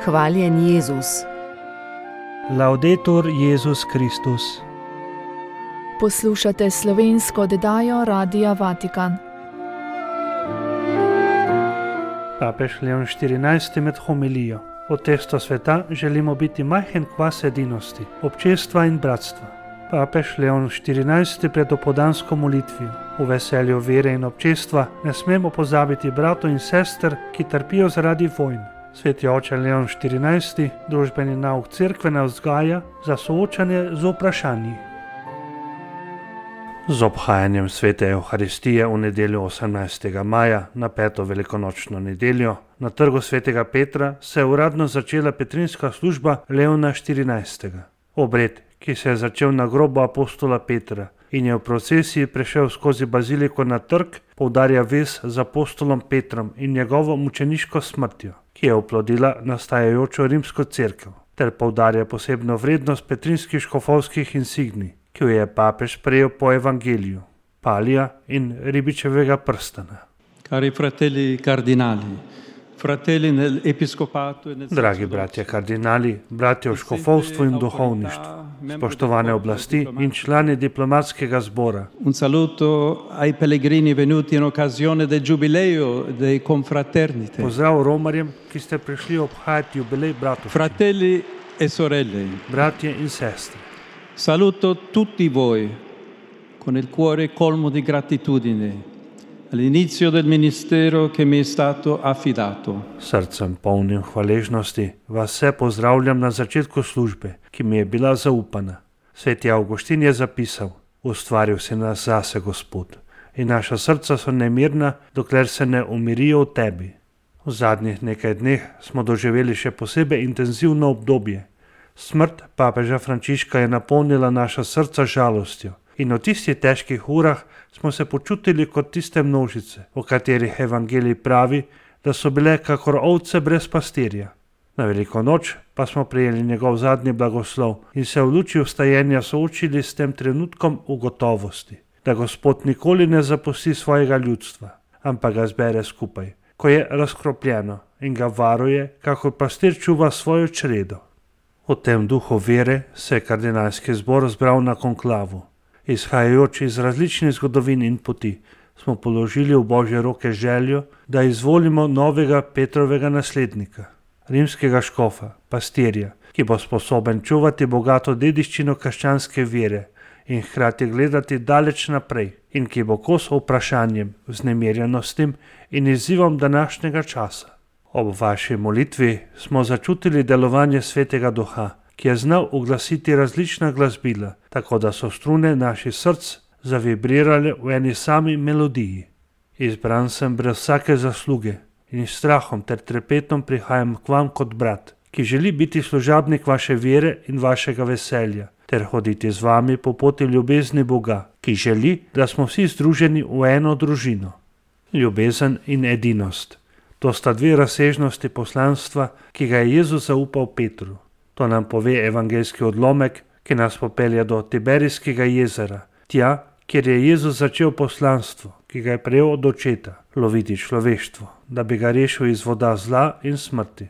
Hvaljen Jezus. Laudetur Jezus Kristus. Poslušate slovensko oddajo Radia Vatikan. Papež Leon XIV med homilijo. Od testa sveta želimo biti majhen kvas edinosti, občestva in bratstva. Papež Leon XIV pred opoldansko molitvijo. V veselju vere in občestva ne smemo pozabiti bratov in sester, ki trpijo zaradi vojn. Sveti oče Leon XIV družbeni nauk cerkve nas vzgaja za soočanje z vprašanji. Z obhajanjem svete Evharistije v nedeljo 18. maja na 5. velikonočno nedeljo na trgu svetega Petra se je uradno začela petrinska služba Leona XIV. Obred, ki se je začel na grobu apostola Petra in je v procesiji prešel skozi baziliko na trg, poudarja vez z apostolom Petrom in njegovo mučeniško smrtjo, ki je oplodila nastajajočo rimsko cerkev, ter poudarja posebno vrednost petrinskih škofovskih insignij, ki jo je papež prejel po evangeliju, palija in ribičevega prstana. Cari fratelli cardinali, fratelli nell'episcopato e nel Dragi bratje kardinali, bratje v škofovstvu in duhovništvu, spoštovane oblasti in člani diplomatskega zbora. Un saluto ai pellegrini venuti in occasione del giubileo dei confraternite. Pozdrav romarjem, ki ste prišli obhajati jubilej bratovščine. Fratelli e sorelle, Bratje in sestre, saluto tutti voi con il cuore colmo di gratitudine all'inizio del ministero che mi è stato affidato. srcem polnim hvaležnosti vas vse pozdravljam na začetku službe, ki mi je bila zaupana. Sveti Avguštin je zapisal: ustvaril si nas zase, Gospod, in naša srca so nemirna, dokler se ne umirijo v tebi. V zadnjih nekaj dneh smo doživeli še posebej intenzivno obdobje. Smrt papeža Frančiška je napolnila naša srca žalostjo in v tistih težkih urah smo se počutili kot tiste množice, o katerih evangelij pravi, da so bile kakor ovce brez pastirja. Na veliko noč pa smo prejeli njegov zadnji blagoslov in se v luči vstajenja soočili s tem trenutkom ugotovosti, da Gospod nikoli ne zapusti svojega ljudstva, ampak ga zbere skupaj, ko je razkropljeno, in ga varuje, kakor pastir čuva svojo čredo. V tem duhu vere se je kardinalski zbor zbral na konklavu. Izhajajoč iz različnih zgodovin in poti, smo položili v Božje roke željo, da izvolimo novega Petrovega naslednika, rimskega škofa, pastirja, ki bo sposoben čuvati bogato dediščino krščanske vere in hkrati gledati daleč naprej in ki bo kos vprašanjem, vznemirjenostim in izzivom današnjega časa. Ob vaši molitvi smo začutili delovanje Svetega Duha, ki je znal uglasiti različna glasbila, tako da so strune naših src zavibrirale v eni sami melodiji. Izbran sem brez vsake zasluge in s strahom ter trepetom prihajam k vam kot brat, ki želi biti služabnik vaše vere in vašega veselja, ter hoditi z vami po poti ljubezni Boga, ki želi, da smo vsi združeni v eno družino. Ljubezen in edinost. To sta dve razsežnosti poslanstva, ki ga je Jezus zaupal Petru. To nam pove evangeljski odlomek, ki nas popelje do Tiberijskega jezera, tja, kjer je Jezus začel poslanstvo, ki ga je prejel od očeta, loviti človeštvo, da bi ga rešil iz voda zla in smrti.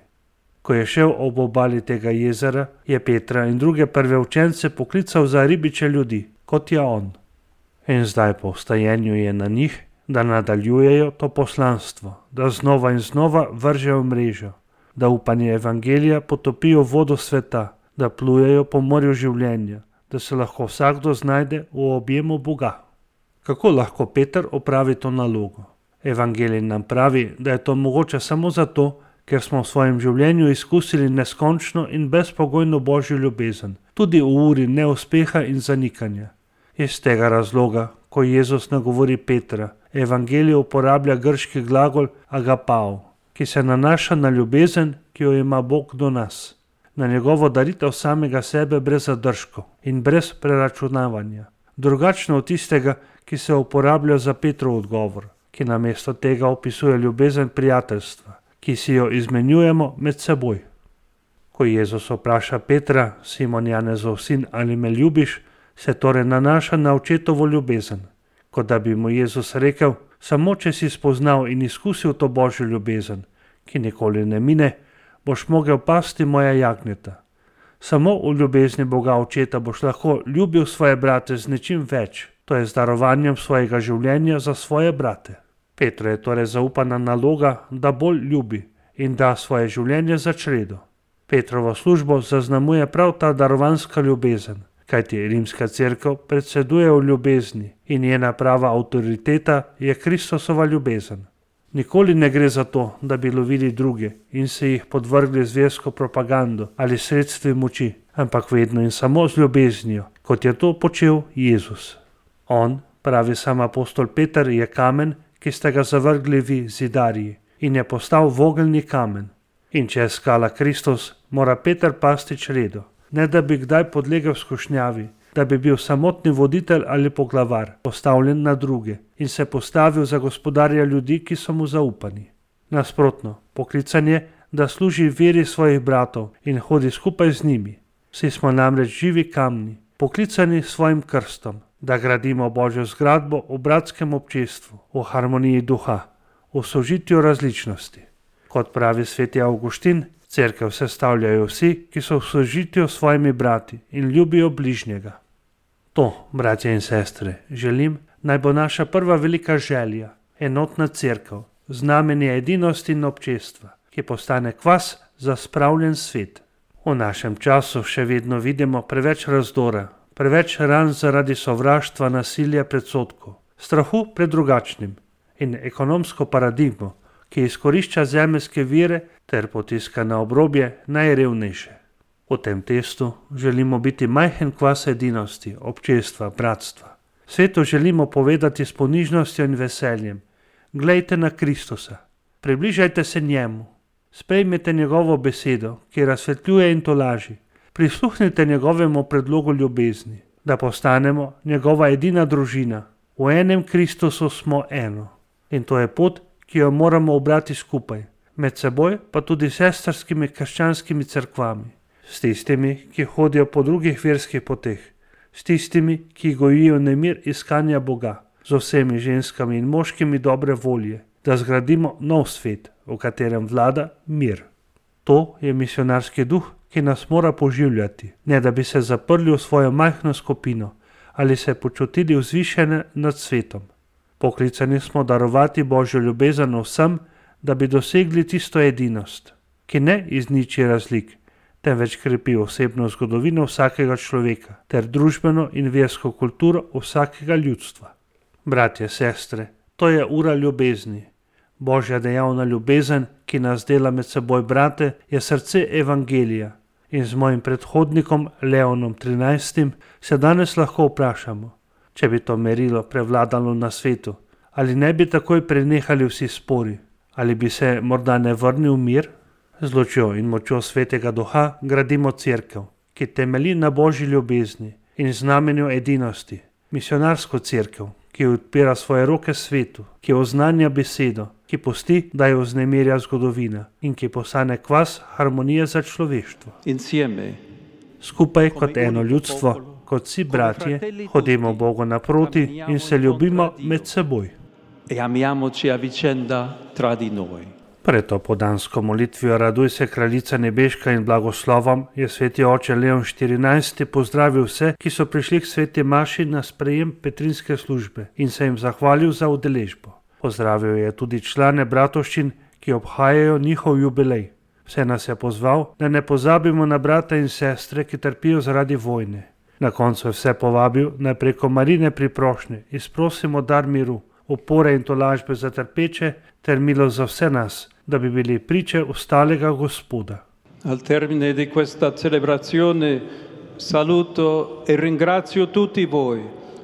Ko je šel ob obali tega jezera, je Petra in druge prve učence poklical za ribiče ljudi, kot je on. In zdaj po vstajenju je na njih, da nadaljujejo to poslanstvo, da znova in znova vržejo mrežo, da upanje evangelija potopijo vodo sveta, da plujejo po morju življenja, da se lahko vsakdo znajde v objemu Boga. Kako lahko Peter opravi to nalogo? Evangelij nam pravi, da je to mogoče samo zato, ker smo v svojem življenju izkusili neskončno in brezpogojno Božjo ljubezen, tudi v uri neuspeha in zanikanja. Iz tega razloga, ko Jezus nagovori Petra, evangelij uporablja grški glagol agapao, ki se nanaša na ljubezen, ki jo ima Bog do nas, na njegovo daritev samega sebe brez zadržkov in brez preračunavanja, drugačno od tistega, ki se uporablja za Petrov odgovor, ki namesto tega opisuje ljubezen prijateljstva, ki si jo izmenjujemo med seboj. Ko Jezus vpraša Petra, Simon Janezov sin, ali me ljubiš, se torej nanaša na očetovo ljubezen, kot da bi mu Jezus rekel: samo če si spoznal in izkusil to Božjo ljubezen, ki nikoli ne mine, boš mogel pasti moja jagnjeta. Samo v ljubezni Boga Očeta boš lahko ljubil svoje brate z nečim več, to je z darovanjem svojega življenja za svoje brate. Petru je torej zaupana naloga, da bolj ljubi in da svoje življenje za čredo. Petrovo službo zaznamuje prav ta darovanska ljubezen, kajti rimska cerkev predseduje v ljubezni in njena prava avtoriteta je Kristusova ljubezen. Nikoli ne gre za to, da bi lovili druge in se jih podvrgli zversko propagando ali sredstvi moči, ampak vedno in samo z ljubeznijo, kot je to počel Jezus. On, pravi sam apostol Peter, je kamen, ki ste ga zavrgli vi, zidarji, in je postal vogelni kamen. In če je skala Kristus, mora Peter pasti čredo, ne da bi kdaj podlegel skušnjavi, da bi bil samotni voditelj ali poglavar, postavljen na druge in se postavil za gospodarja ljudi, ki so mu zaupani. Nasprotno, poklican je, da služi veri svojih bratov in hodi skupaj z njimi. Vsi smo namreč živi kamni, poklicani s svojim krstom, da gradimo Božjo zgradbo v bratskem občestvu, v harmoniji duha, v sožitju različnosti. Kot pravi sveti Avguštin, cerkev sestavljajo vsi, ki so v sožitju s svojimi brati in ljubijo bližnjega. To, bratje in sestre, želim, naj bo naša prva velika želja, enotna cerkev, znamenje edinosti in občestva, ki postane kvas za spravljen svet. V našem času še vedno vidimo preveč razdora, preveč ran zaradi sovraštva, nasilja, predsodkov, strahu pred drugačnim in ekonomsko paradigmo, ki izkorišča zemeljske vire ter potiska na obrobje najrevnejše. V tem testu želimo biti majhen kvas edinosti, občestva, bratstva. Svetu želimo povedati s ponižnostjo in veseljem: glejte na Kristusa, približajte se njemu, sprejmite njegovo besedo, ki razsvetljuje in tolaži, prisluhnite njegovemu predlogu ljubezni, da postanemo njegova edina družina. V enem Kristusu smo eno. In to je pot, ki jo moramo obrati skupaj, med seboj pa tudi s sestrskimi krščanskimi cerkvami, s tistimi, ki hodijo po drugih verskih poteh, s tistimi, ki gojijo nemir iskanja Boga, z vsemi ženskami in moškimi dobre volje, da zgradimo nov svet, v katerem vlada mir. To je misionarski duh, ki nas mora poživljati, ne da bi se zaprli v svojo majhno skupino ali se počutili vzvišene nad svetom. Poklicani smo darovati Božjo ljubezen vsem, da bi dosegli tisto edinost, ki ne izniči razlik, temveč krepi osebno zgodovino vsakega človeka ter družbeno in versko kulturo vsakega ljudstva. Bratje, sestre, to je ura ljubezni. Božja dejavna ljubezen, ki nas dela med seboj brate, je srce evangelija. In z mojim predhodnikom Leonom XIII se danes lahko vprašamo, če bi to merilo prevladalo na svetu, ali ne bi takoj prenehali vsi spori, ali bi se morda ne vrnil mir? Z lučjo in močjo svetega duha gradimo cerkev, ki temelji na Božji ljubezni in znamenju edinosti, misionarsko cerkev, ki odpira svoje roke svetu, ki oznanja besedo, ki pusti, da jo vznemirja zgodovina in ki postane kvas harmonije za človeštvo. Skupaj kot eno ljudstvo, kot vsi bratje, hodimo Bogu naproti in se ljubimo med seboj. Pred to podansko molitvijo Raduj se, kraljica nebeška, in blagoslovom je sveti oče Leon XIV pozdravil vse, ki so prišli k sveti maši na sprejem petrinske službe in se jim zahvalil za udeležbo. Pozdravil je tudi člane bratovščin, ki obhajajo njihov jubilej. Vse nas je pozval, da ne pozabimo na brata in sestre, ki trpijo zaradi vojne. Na koncu je vse povabil, naj preko Marine priprošnje izprosimo dar miru, opore in tolažbe za trpeče ter milost za vse nas, da bi bili priče ostalega Gospoda. Al termine di questa celebrazione saluto e ringrazio tutti voi,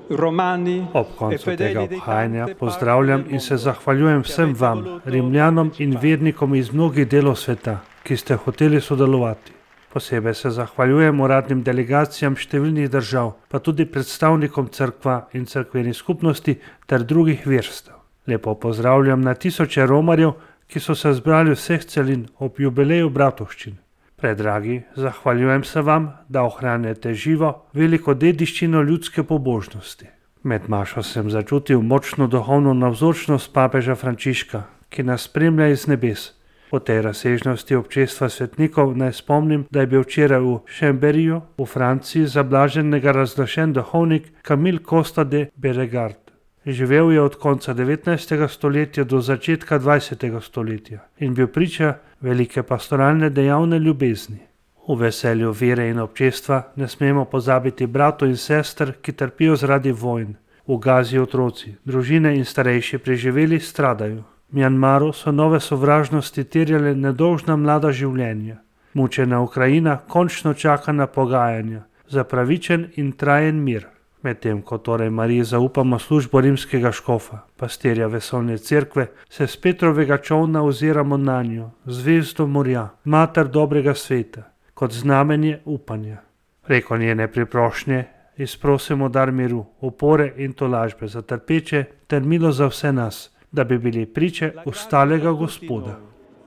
romani. Ob koncu tega obhajanja pozdravljam in se zahvaljujem vsem vam, Rimljanom in vernikom iz mnogih delov sveta, ki ste hoteli sodelovati. Posebej se zahvaljujem uradnim delegacijam številnih držav, pa tudi predstavnikom cerkva in cerkvenih skupnosti ter drugih verstev. Lepo pozdravljam na tisoče romarjev, ki so se zbrali vseh celin ob jubileju bratovščin. Predragi, zahvaljujem se vam, da ohranjate živo veliko dediščino ljudske pobožnosti. Med mašo sem začutil močno duhovno navzočnost papeža Frančiška, ki nas spremlja iz nebes. Po tej razsežnosti občestva svetnikov naj spomnim, da je bil včeraj v Chambéryju v Franciji za blaženega razglašen duhovnik Camille Costa de Beregard. Živel je od konca 19. stoletja do začetka 20. stoletja in bil priča velike pastoralne dejavne ljubezni. V veselju vere in občestva ne smemo pozabiti bratov in sester, ki trpijo zaradi vojn. V Gazi otroci, družine in starejši preživeli stradajo. V Mjanmaru so nove sovražnosti terjale nedolžna mlada življenja. Mučena Ukrajina končno čaka na pogajanja za pravičen in trajen mir. Medtem ko torej Mariji zaupamo službo rimskega škofa, pastirja vesoljne cerkve, se s Petrovega čolna oziramo na njo, zvezdo morja, mater dobrega sveta, kot znamenje upanja. Preko njene priprošnje izprosimo dar miru, opore in tolažbe za trpeče ter milo za vse nas, da bi bili priče ustalega Gospoda.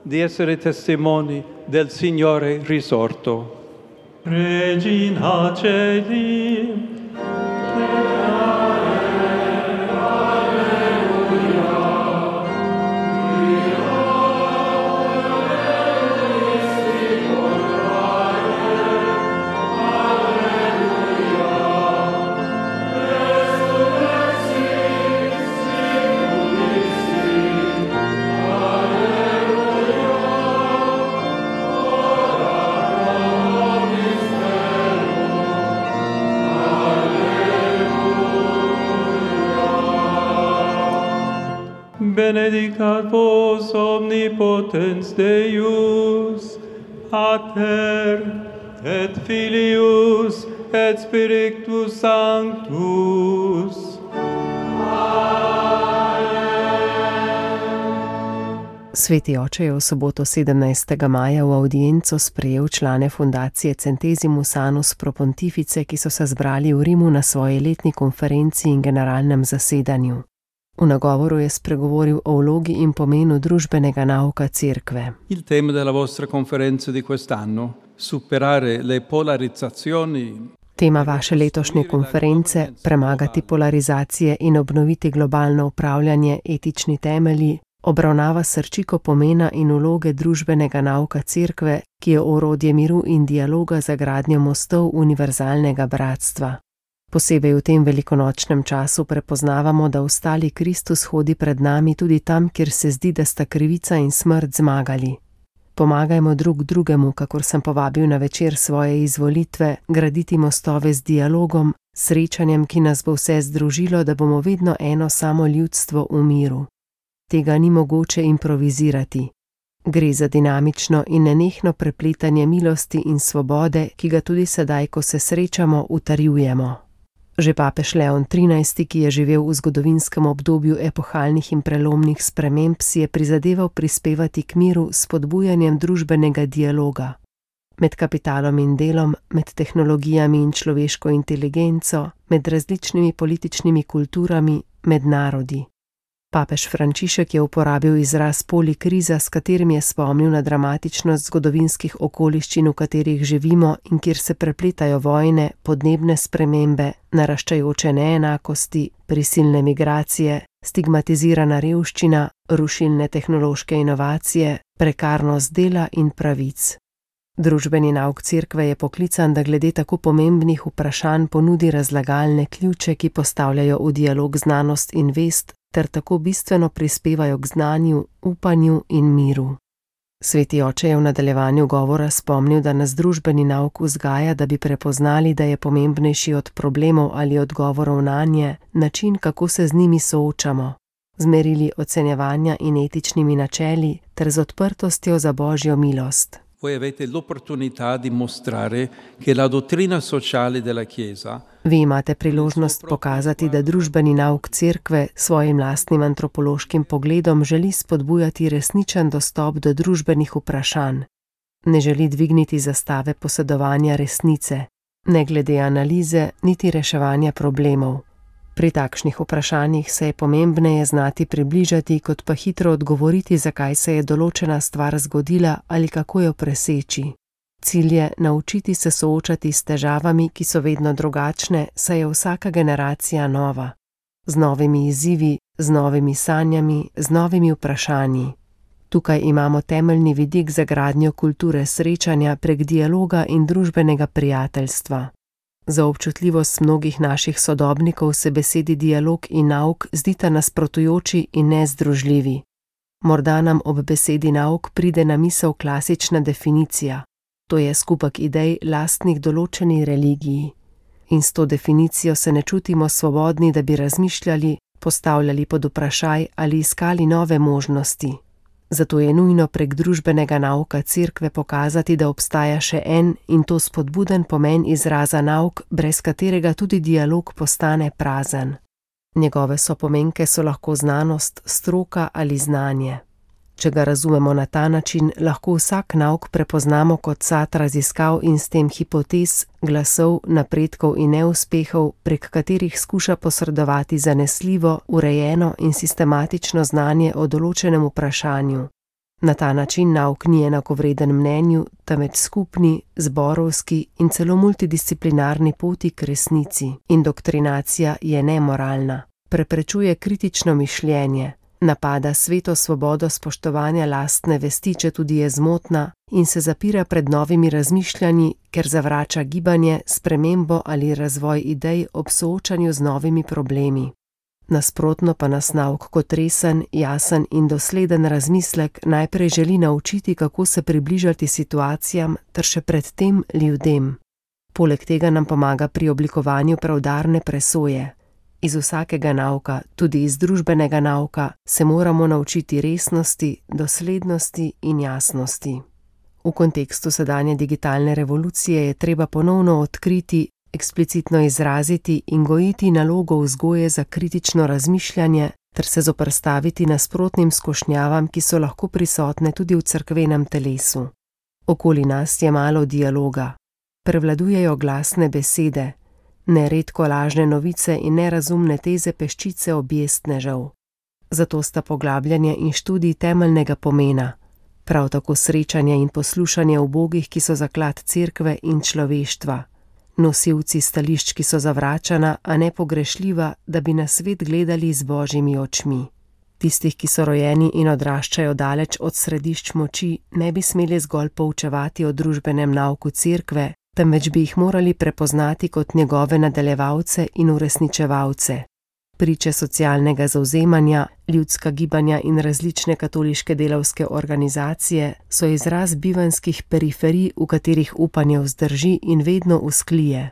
Di essere testimoni del Signore risorto. Regina Celi, benedicat vos omnipotens Deus, Pater et Filius et Spiritus Sanctus. Sveti oče je v soboto 17. maja v audienco sprejel člane fundacije Centesimus Annus Pro Pontifice, ki so se zbrali v Rimu na svoji letni konferenci in generalnem zasedanju. V nagovoru je spregovoril o vlogi in pomenu družbenega nauka cerkve. Il tema della vostra conferenza di quest'anno, superare le polarizzazioni. Tema vaše letošnje konference, premagati polarizacije in obnoviti globalno upravljanje, etični temelji, obravnava srčiko pomena in vloge družbenega nauka cerkve, ki je orodje miru in dialoga za gradnjo mostov univerzalnega bratstva. Posebej v tem velikonočnem času prepoznavamo, da ostali Kristus hodi pred nami tudi tam, kjer se zdi, da sta krivica in smrt zmagali. Pomagajmo drug drugemu, kakor sem povabil na večer svoje izvolitve, graditi mostove z dialogom, srečanjem, ki nas bo vse združilo, da bomo vedno eno samo ljudstvo v miru. Tega ni mogoče improvizirati. Gre za dinamično in nenehno prepletanje milosti in svobode, ki ga tudi sedaj, ko se srečamo, utrjujemo. Že papež Leon XIII., ki je živel v zgodovinskem obdobju epohalnih in prelomnih sprememb, si je prizadeval prispevati k miru s spodbujanjem družbenega dialoga. Med kapitalom in delom, med tehnologijami in človeško inteligenco, med različnimi političnimi kulturami, med narodi. Papež Frančišek je uporabil izraz polikriza, s katerim je spomnil na dramatičnost zgodovinskih okoliščin, v katerih živimo in kjer se prepletajo vojne, podnebne spremembe, naraščajoče neenakosti, prisilne migracije, stigmatizirana revščina, rušilne tehnološke inovacije, prekarnost dela in pravic. Družbeni nauk cerkve je poklican, da glede tako pomembnih vprašanj ponudi razlagalne ključe, ki postavljajo v dialog znanost in vest, ter tako bistveno prispevajo k znanju, upanju in miru. Sveti oče je v nadaljevanju govora spomnil, da nas družbeni nauk vzgaja, da bi prepoznali, da je pomembnejši od problemov ali odgovorov nanje način, kako se z njimi soočamo, z merili ocenjevanja in etičnimi načeli ter z odprtostjo za Božjo milost. Voi avete l'opportunità di mostrare che la dottrina sociale della Chiesa. Vi imate priložnost pokazati, da družbeni nauk cerkve svojim lastnim antropološkim pogledom želi spodbujati resničen dostop do družbenih vprašanj. Ne želi dvigniti zastave posedovanja resnice, ne glede analize, niti reševanja problemov. Pri takšnih vprašanjih se je pomembneje znati približati, kot pa hitro odgovoriti, zakaj se je določena stvar zgodila ali kako jo preseči. Cilj je naučiti se soočati s težavami, ki so vedno drugačne, saj je vsaka generacija nova. Z novimi izzivi, z novimi sanjami, z novimi vprašanji. Tukaj imamo temeljni vidik za gradnjo kulture srečanja prek dialoga in družbenega prijateljstva. Za občutljivost mnogih naših sodobnikov se besedi dialog in nauk zdita nasprotujoči in nezdružljivi. Morda nam ob besedi nauk pride na misel klasična definicija. To je skupek idej lastnih določeni religiji. In s to definicijo se ne čutimo svobodni, da bi razmišljali, postavljali pod vprašaj ali iskali nove možnosti. Zato je nujno prek družbenega nauka Cerkve pokazati, da obstaja še en in to spodbuden pomen izraza nauk, brez katerega tudi dialog postane prazen. Njegove sopomenke so lahko znanost, stroka ali znanje. Če ga razumemo na ta način, lahko vsak nauk prepoznamo kot sad raziskav in s tem hipotez, glasov, napredkov in neuspehov, prek katerih skuša posredovati zanesljivo, urejeno in sistematično znanje o določenem vprašanju. Na ta način nauk ni enakovreden mnenju, temveč skupni, zborovski in celo multidisciplinarni poti k resnici. Indoktrinacija je nemoralna, preprečuje kritično mišljenje, napada sveto svobodo spoštovanja lastne vesti, če tudi je zmotna, in se zapira pred novimi razmišljanji, ker zavrača gibanje, spremembo ali razvoj idej ob soočanju z novimi problemi. Nasprotno pa nas nauk kot resen, jasen in dosleden razmislek najprej želi naučiti, kako se približati situacijam ter še predtem ljudem. Poleg tega nam pomaga pri oblikovanju preudarne presoje. Iz vsakega nauka, tudi iz družbenega nauka, se moramo naučiti resnosti, doslednosti in jasnosti. V kontekstu sedanje digitalne revolucije je treba ponovno odkriti, eksplicitno izraziti in gojiti nalogo vzgoje za kritično razmišljanje ter se zoperstaviti nasprotnim skušnjavam, ki so lahko prisotne tudi v cerkvenem telesu. Okoli nas je malo dialoga. Prevladujejo glasne besede, neredko lažne novice in nerazumne teze peščice objestnežev. Zato sta poglabljanje in študij temeljnega pomena, prav tako srečanje in poslušanje ubogih, ki so zaklad Cerkve in človeštva, nosilci stališč, ki so zavračana, a nepogrešljiva, da bi na svet gledali z božjimi očmi. Tistih, ki so rojeni in odraščajo daleč od središč moči, ne bi smeli zgolj poučevati o družbenem nauku Cerkve, temveč bi jih morali prepoznati kot njegove nadaljevalce in uresničevalce. Priče socialnega zavzemanja, ljudska gibanja in različne katoliške delavske organizacije so izraz bivanjskih periferij, v katerih upanje vzdrži in vedno vzklije.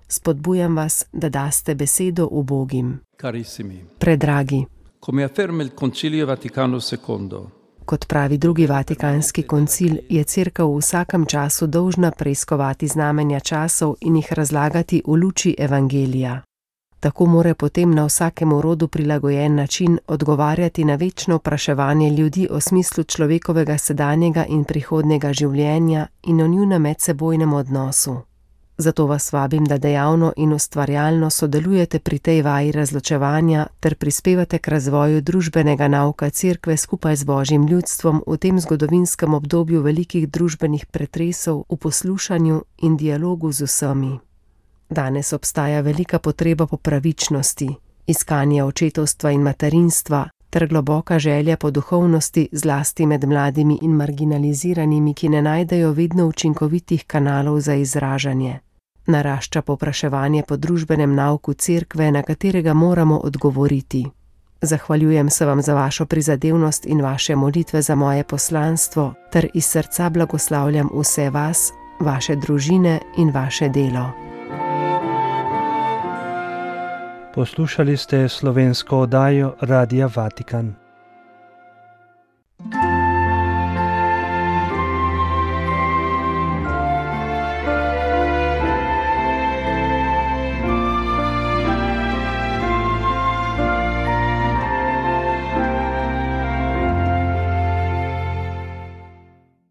Spodbujam vas, da daste besedo ubogim. Carissimi. Predragi. Come afferma il Concilio Vaticano II. Kot pravi drugi Vatikanski koncil, je Cerkev v vsakem času dolžna preiskovati znamenja časov in jih razlagati v luči evangelija. Tako mora potem na vsakemu rodu prilagojen način odgovarjati na večno vpraševanje ljudi o smislu človekovega sedanjega in prihodnjega življenja in o njunem medsebojnem odnosu. Zato vas vabim, da dejavno in ustvarjalno sodelujete pri tej vaji razločevanja ter prispevate k razvoju družbenega nauka Cerkve skupaj z Božjim ljudstvom v tem zgodovinskem obdobju velikih družbenih pretresov v poslušanju in dialogu z vsemi. Danes obstaja velika potreba po pravičnosti, iskanje očetovstva in materinstva ter globoka želja po duhovnosti, zlasti med mladimi in marginaliziranimi, ki ne najdejo vedno učinkovitih kanalov za izražanje. Narašča povpraševanje po družbenem nauku Cerkve, na katerega moramo odgovoriti. Zahvaljujem se vam za vašo prizadevnost in vaše molitve za moje poslanstvo ter iz srca blagoslavljam vse vas, vaše družine in vaše delo. Poslušali ste slovensko oddajo Radia Vatikan.